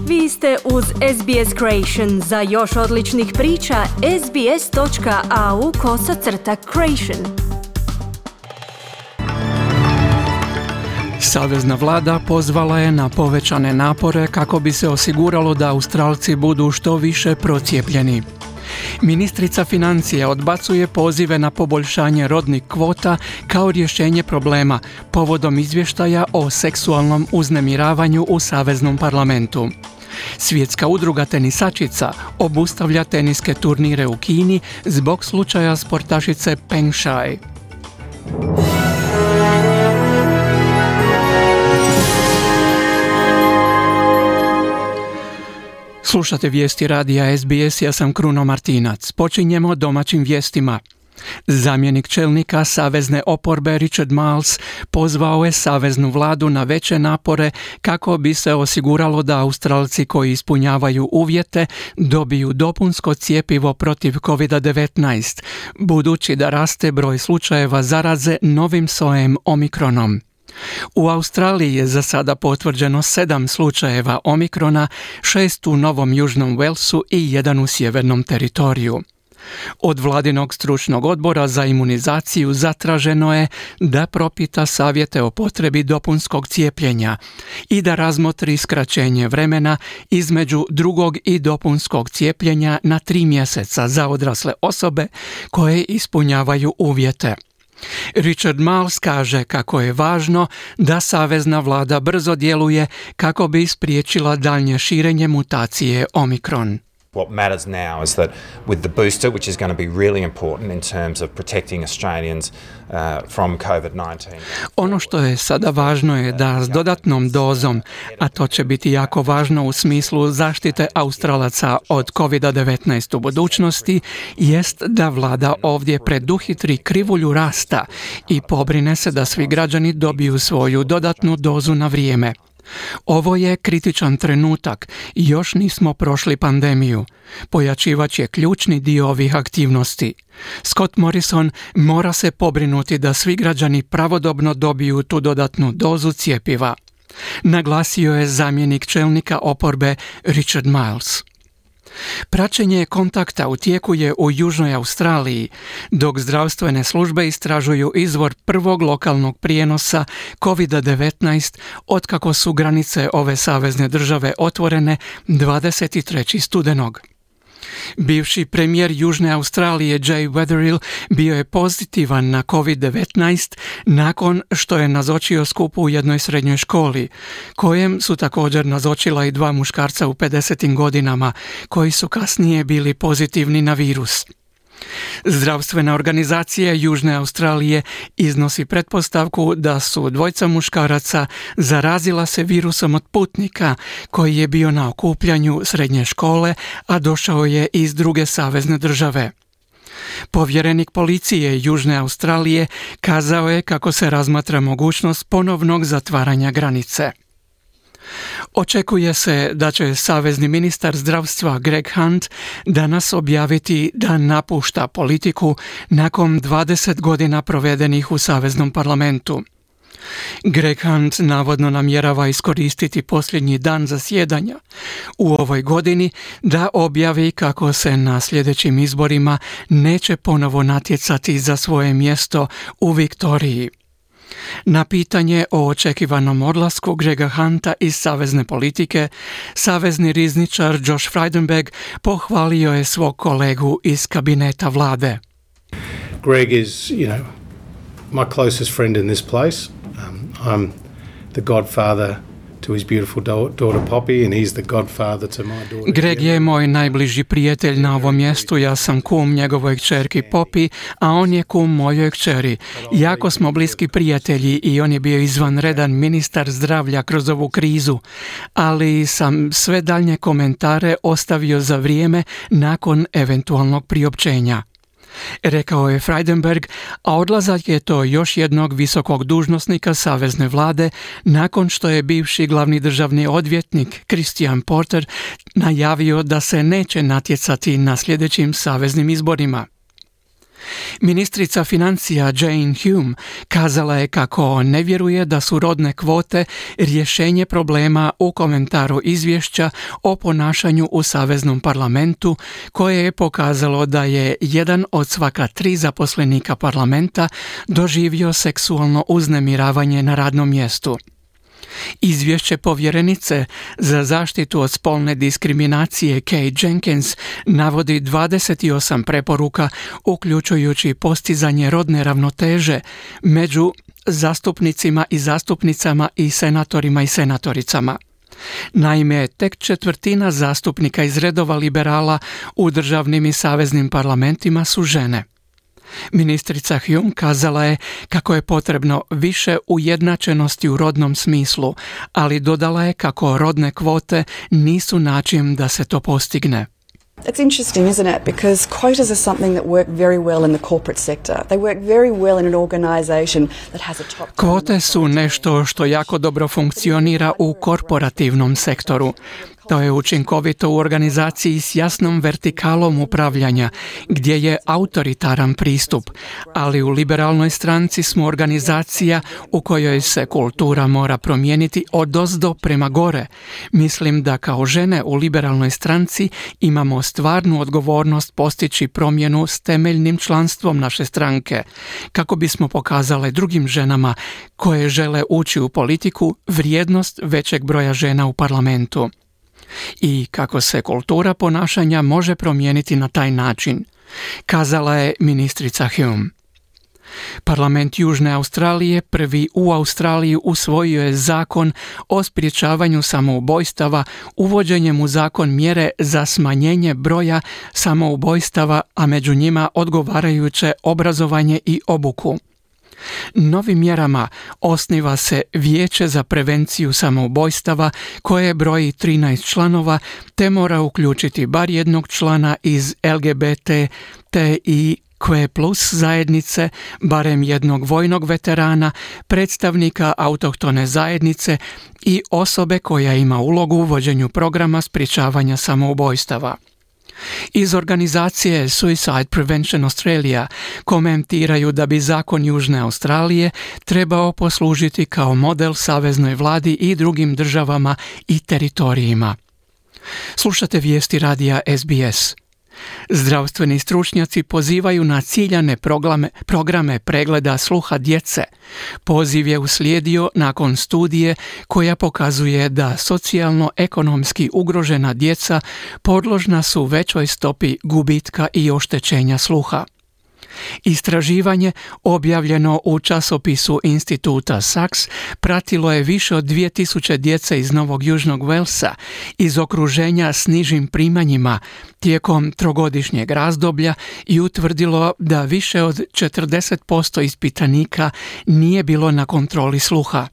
Vi ste uz SBS Creation. Za još odličnih priča, sbs.au/creation. Savezna vlada pozvala je na povećane napore kako bi se osiguralo da Australci budu što više procijepljeni. Ministrica financija odbacuje pozive na poboljšanje rodnih kvota kao rješenje problema povodom izvještaja o seksualnom uznemiravanju u Saveznom parlamentu. Svjetska udruga tenisačica obustavlja teniske turnire u Kini zbog slučaja sportašice Peng Shuai. Slušate vijesti radija SBS, ja sam Kruno Martinac. Počinjemo domaćim vijestima. Zamjenik čelnika savezne oporbe Richard Marles pozvao je saveznu vladu na veće napore kako bi se osiguralo da Australci koji ispunjavaju uvjete dobiju dopunsko cjepivo protiv COVID-19, budući da raste broj slučajeva zaraze novim sojem Omikronom. U Australiji je za sada potvrđeno 7 slučajeva Omikrona, 6 u Novom Južnom Walesu i 1 u Sjevernom teritoriju. Od vladinog stručnog odbora za imunizaciju zatraženo je da propita savjete o potrebi dopunskog cijepljenja i da razmotri skraćenje vremena između drugog i dopunskog cijepljenja na 3 mjeseca za odrasle osobe koje ispunjavaju uvjete. Richard Marles kaže kako je važno da savezna vlada brzo djeluje kako bi spriječila daljnje širenje mutacije Omikron. What matters now is that with the booster, which is going to be really important in terms of protecting Australians from COVID-19. Ono što je sada važno je da s dodatnom dozom, a to će biti jako važno u smislu zaštite Australaca od COVID-19 u budućnosti, jest da vlada ovdje preduhitri krivulju rasta i pobrine se da svi građani dobiju svoju dodatnu dozu na vrijeme. Ovo je kritičan trenutak i još nismo prošli pandemiju. Pojačivač je ključni dio ovih aktivnosti. Scott Morrison mora se pobrinuti da svi građani pravodobno dobiju tu dodatnu dozu cjepiva. Naglasio je zamjenik čelnika oporbe Richard Marles. Praćenje kontakta u tijeku je u Južnoj Australiji, dok zdravstvene službe istražuju izvor prvog lokalnog prijenosa COVID-19 otkako su granice ove savezne države otvorene 23. studenog. Bivši premijer Južne Australije Jay Weatherill bio je pozitivan na COVID-19 nakon što je nazočio skupu u jednoj srednjoj školi, kojem su također nazočila i 2 muškarca u 50. godinama, koji su kasnije bili pozitivni na virus. Zdravstvena organizacija Južne Australije iznosi pretpostavku da su 2 muškaraca zarazila se virusom od putnika koji je bio na okupljanju srednje škole, a došao je iz druge savezne države. Povjerenik policije Južne Australije kazao je kako se razmatra mogućnost ponovnog zatvaranja granice. Očekuje se da će savezni ministar zdravstva Greg Hunt danas objaviti da napušta politiku nakon 20 godina provedenih u saveznom parlamentu. Greg Hunt navodno namjerava iskoristiti posljednji dan zasjedanja u ovoj godini da objavi kako se na sljedećim izborima neće ponovo natjecati za svoje mjesto u Viktoriji. Na pitanje o očekivanom odlasku Grega Hunta iz savezne politike, savezni rizničar Josh Frydenberg pohvalio je svog kolegu iz kabineta vlade. Greg is, my closest friend in this place. I'm the godfather to his beautiful daughter Poppy and he's the godfather to my daughter. Greg je moj najbliži prijatelj na ovom mjestu, ja sam kum njegovoj kćerki Poppy, a on je kum mojoj kćeri. Jako smo bliski prijatelji i on je bio izvanredan ministar zdravlja kroz ovu krizu, ali sam sve daljnje komentare ostavio za vrijeme nakon eventualnog priopćenja. Rekao je Frydenberg, a odlazak je to još jednog visokog dužnosnika savezne vlade nakon što je bivši glavni državni odvjetnik Christian Porter najavio da se neće natjecati na sljedećim saveznim izborima. Ministrica financija Jane Hume kazala je kako ne vjeruje da su rodne kvote rješenje problema u komentaru izvješća o ponašanju u Saveznom parlamentu, koje je pokazalo da je 1 od svaka 3 zaposlenika parlamenta doživio seksualno uznemiravanje na radnom mjestu. Izvješće povjerenice za zaštitu od spolne diskriminacije Kate Jenkins navodi 28 preporuka, uključujući postizanje rodne ravnoteže među zastupnicima i zastupnicama i senatorima i senatoricama. Naime, tek 1/4 zastupnika iz redova liberala u državnim i saveznim parlamentima su žene. Ministrica Hume kazala je kako je potrebno više ujednačenosti u rodnom smislu, ali dodala je kako rodne kvote nisu način da se to postigne. It's interesting, isn't it? Because quotas are something that work very well in the corporate sector. They work very well in an organization that has a top... Kvote su nešto što jako dobro funkcionira u korporativnom sektoru. To je učinkovito u organizaciji s jasnom vertikalom upravljanja, gdje je autoritaran pristup, ali u liberalnoj stranci smo organizacija u kojoj se kultura mora promijeniti odozdo prema gore. Mislim da kao žene u liberalnoj stranci imamo stvarnu odgovornost postići promjenu s temeljnim članstvom naše stranke, kako bismo pokazale drugim ženama koje žele ući u politiku vrijednost većeg broja žena u parlamentu. I kako se kultura ponašanja može promijeniti na taj način, kazala je ministrica Hume. Parlament Južne Australije prvi u Australiji usvojio je zakon o sprječavanju samoubojstava uvođenjem u zakon mjere za smanjenje broja samoubojstava, a među njima odgovarajuće obrazovanje i obuku. Novim mjerama osniva se Vijeće za prevenciju samoubojstava koje broji 13 članova te mora uključiti bar jednog člana iz LGBTIQ+ zajednice, barem jednog vojnog veterana, predstavnika autohtone zajednice i osobe koja ima ulogu u vođenju programa sprječavanja samoubojstava. Iz organizacije Suicide Prevention Australia komentiraju da bi zakon Južne Australije trebao poslužiti kao model saveznoj vladi i drugim državama i teritorijima. Slušate vijesti radija SBS. Zdravstveni stručnjaci pozivaju na ciljane programe pregleda sluha djece. Poziv je uslijedio nakon studije koja pokazuje da socijalno-ekonomski ugrožena djeca podložna su većoj stopi gubitka i oštećenja sluha. Istraživanje objavljeno u časopisu instituta Saks pratilo je više od 2000 djece iz Novog Južnog Velsa iz okruženja s nižim primanjima tijekom 3-godišnjeg razdoblja i utvrdilo da više od 40% ispitanika nije bilo na kontroli sluha.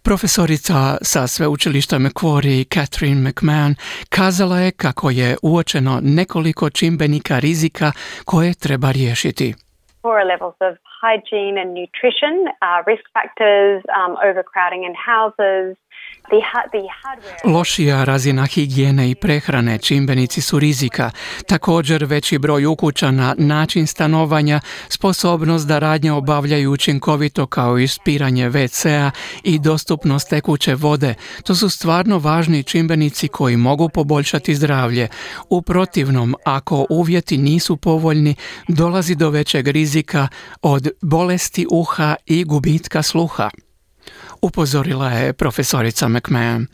Profesorica sa sveučilišta Macquarie Catherine McMahon kazala je kako je uočeno nekoliko čimbenika rizika koje treba riješiti. Poorer levels of hygiene and nutrition, risk factors, overcrowding in houses. Lošija razina higijene i prehrane čimbenici su rizika, također veći broj ukućana, način stanovanja, sposobnost da radnje obavljaju učinkovito kao ispiranje WC-a i dostupnost tekuće vode. To su stvarno važni čimbenici koji mogu poboljšati zdravlje. U protivnom, ako uvjeti nisu povoljni, dolazi do većeg rizika od bolesti uha i gubitka sluha, upozorila je profesorica McMahon.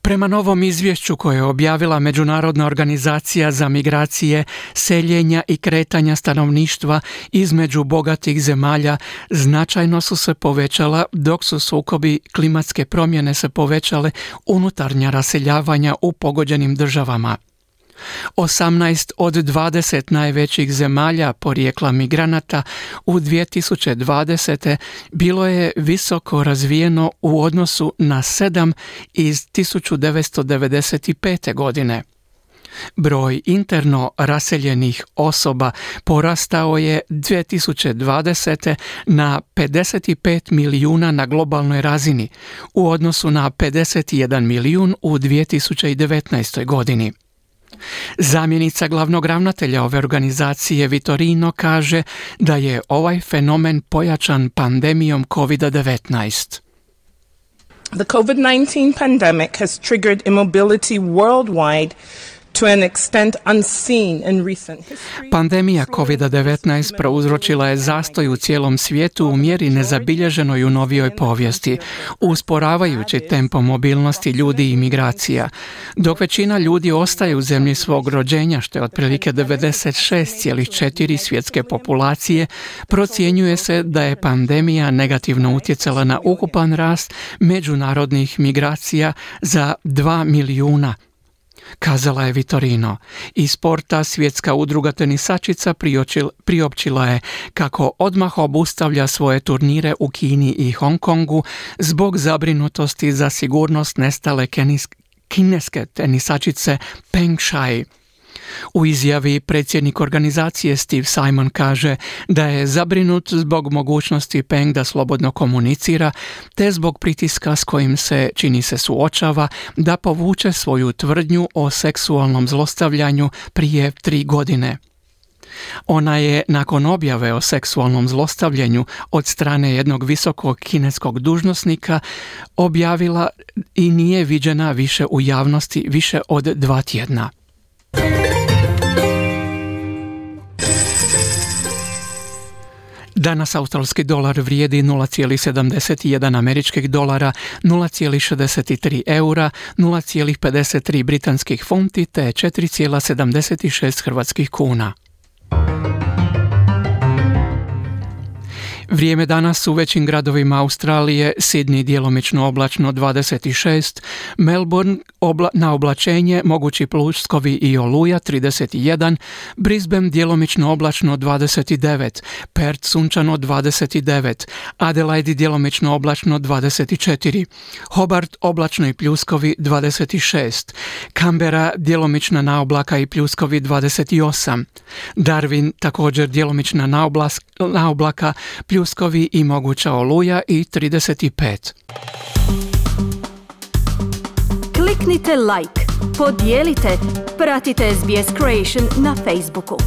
Prema novom izvješću koje je objavila Međunarodna organizacija za migracije, seljenja i kretanja stanovništva između bogatih zemalja značajno su se povećala, dok su sukobi klimatske promjene se povećale unutarnja raseljavanja u pogođenim državama. 18 od 20 najvećih zemalja porijekla migranata u 2020. bilo je visoko razvijeno u odnosu na 7 iz 1995. godine. Broj interno raseljenih osoba porastao je 2020. na 55 milijuna na globalnoj razini u odnosu na 51 milijun u 2019. godini. Zamjenica glavnog ravnatelja ove organizacije Vitorino kaže da je ovaj fenomen pojačan pandemijom COVID-19. The COVID-19 pandemic has triggered immobility worldwide to an extent unseen in recent history. Pandemija COVID-19 prouzročila je zastoj u cijelom svijetu u mjeri nezabilježenoj u novijoj povijesti, usporavajući tempo mobilnosti ljudi i migracija. Dok većina ljudi ostaje u zemlji svog rođenja, što je otprilike 96,4 svjetske populacije, procjenjuje se da je pandemija negativno utjecala na ukupan rast međunarodnih migracija za 2 milijuna. Kazala je Vitorino. Iz sporta Svjetska udruga tenisačica priopćila je kako odmah obustavlja svoje turnire u Kini i Hong Kongu zbog zabrinutosti za sigurnost nestale kineske tenisačice Peng Shuai. U izjavi predsjednik organizacije Steve Simon kaže da je zabrinut zbog mogućnosti Peng da slobodno komunicira, te zbog pritiska s kojim se, čini se, suočava da povuče svoju tvrdnju o seksualnom zlostavljanju prije 3 godine. Ona je nakon objave o seksualnom zlostavljanju od strane jednog visokog kineskog dužnosnika objavila i nije viđena više u javnosti više od 2 tjedna. Danas australski dolar vrijedi 0,71 američkih dolara, 0,63 eura, 0,53 britanskih funti te 4,76 hrvatskih kuna. Vrijeme danas u većim gradovima Australije: Sydney djelomično oblačno 26, Melbourne na oblačenje, mogući pljuskovi i oluja 31, Brisbane djelomično oblačno 29, Perth sunčano 29, Adelaide djelomično oblačno 24, Hobart oblačno i pljuskovi 26, Canberra djelomična naoblaka i pljuskovi 28, Darwin također djelomična naoblaka, pljuskovi i moguća oluja i 35. Kliknite like, podijelite, pratite SBS Creation na Facebooku.